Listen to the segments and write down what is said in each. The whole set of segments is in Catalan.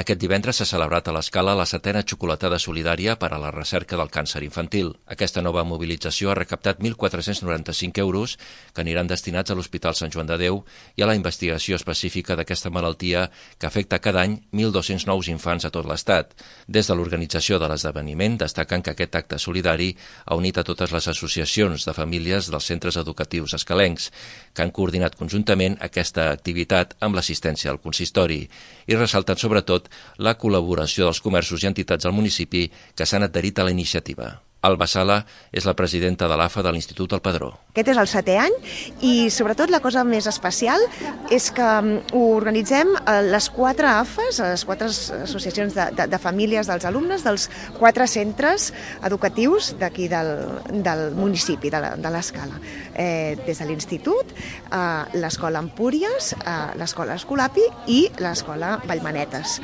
Aquest divendres s'ha celebrat a l'Escala la 7a xocolatada solidària per a la recerca del càncer infantil. Aquesta nova mobilització ha recaptat 1.495 euros que aniran destinats a l'Hospital Sant Joan de Déu i a la investigació específica d'aquesta malaltia que afecta cada any 1.200 nous infants a tot l'Estat. Des de l'organització de l'esdeveniment destaquen que aquest acte solidari ha unit a totes les associacions de famílies dels centres educatius escalencs, que han coordinat conjuntament aquesta activitat amb l'assistència al consistori i ressalten sobretot la col·laboració dels comerços i entitats del municipi que s'han adherit a la iniciativa. Alba Sala és la presidenta de l'AFA de l'Institut El Padró. Aquest és el 7è any i sobretot la cosa més especial és que ho organitzem a les 4 AFAs, a les 4 associacions de famílies dels alumnes dels 4 centres educatius d'aquí del municipi, de l'Escala. Des de l'Institut, l'Escola Empúries, l'Escola Escolapi i l'Escola Vallmanetes.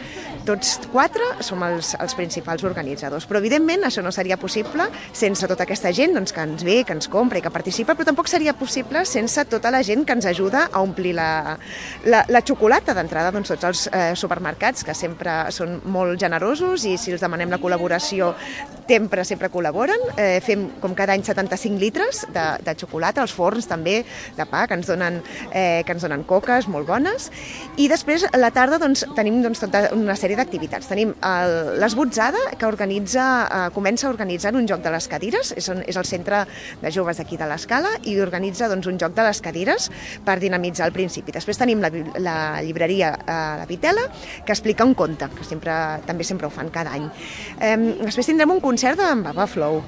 Tots 4 som els principals organitzadors, però evidentment això no seria possible sense tota aquesta gent que ens ve, que ens compra i que participa, però tampoc seria possible sense tota la gent que ens ajuda a omplir la xocolata. D'entrada, tots els supermercats, que sempre són molt generosos i si els demanem la col·laboració sempre col·laboren. Fem com cada any 75 litres de xocolata, els forns també de pa, que ens donen coques molt bones. I després, a la tarda, tenim tota una sèrie d'activitats. Tenim l'Esbotzada, que comença a organitzar un joc de les cadires, és el centre de joves d'aquí de l'Escala i organitza un joc de les cadires per dinamitzar al principi. Després tenim la llibreria La Vitela, que explica un conte, que també sempre ho fan cada any. Després tindrem un concert d'en Papa Flow,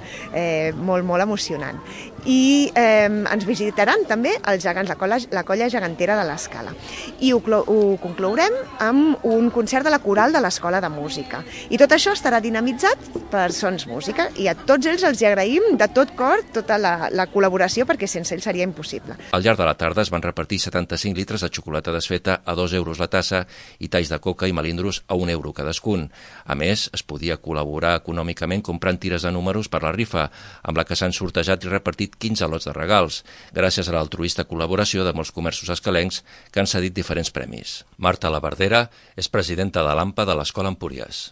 molt emocionant. I ens visitaran també els gegants, la colla gegantera de l'Escala. I ho conclourem amb un concert de la coral de l'Escola de Música. I tot això estarà dinamitzat per Sons Música i a tots ells els agraïm de tot cor tota la col·laboració perquè sense ells seria impossible. Al llarg de la tarda es van repartir 75 litres de xocolata desfeta a 2 euros la tassa i talls de coca i melindros a 1 euro cadascun. A més, es podia col·laborar econòmicament comprant tires de números per la rifa, amb la que s'han sortejat i repartit 15 lots de regals, gràcies a l'altruista col·laboració de molts comerços escalencs que han cedit diferents premis. Marta Labardera és presidenta de l'AMPA de l'Escola Empúries.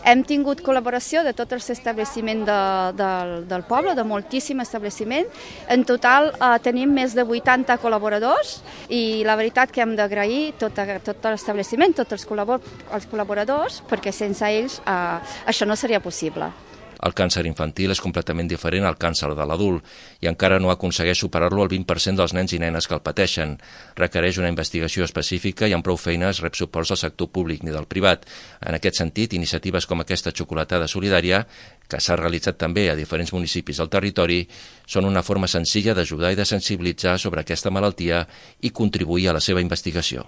Hem tingut col·laboració de tot l'establiment del poble, de moltíssim establiment. En total tenim més de 80 col·laboradors i la veritat que hem d'agrair tot l'establiment, tots els col·laboradors, perquè sense ells això no seria possible. El càncer infantil és completament diferent al càncer de l'adult i encara no aconsegueix superar-lo el 20% dels nens i nenes que el pateixen. Requereix una investigació específica i amb prou feines rep suports del sector públic ni del privat. En aquest sentit, iniciatives com aquesta xocolatada solidària, que s'ha realitzat també a diferents municipis del territori, són una forma senzilla d'ajudar i de sensibilitzar sobre aquesta malaltia i contribuir a la seva investigació.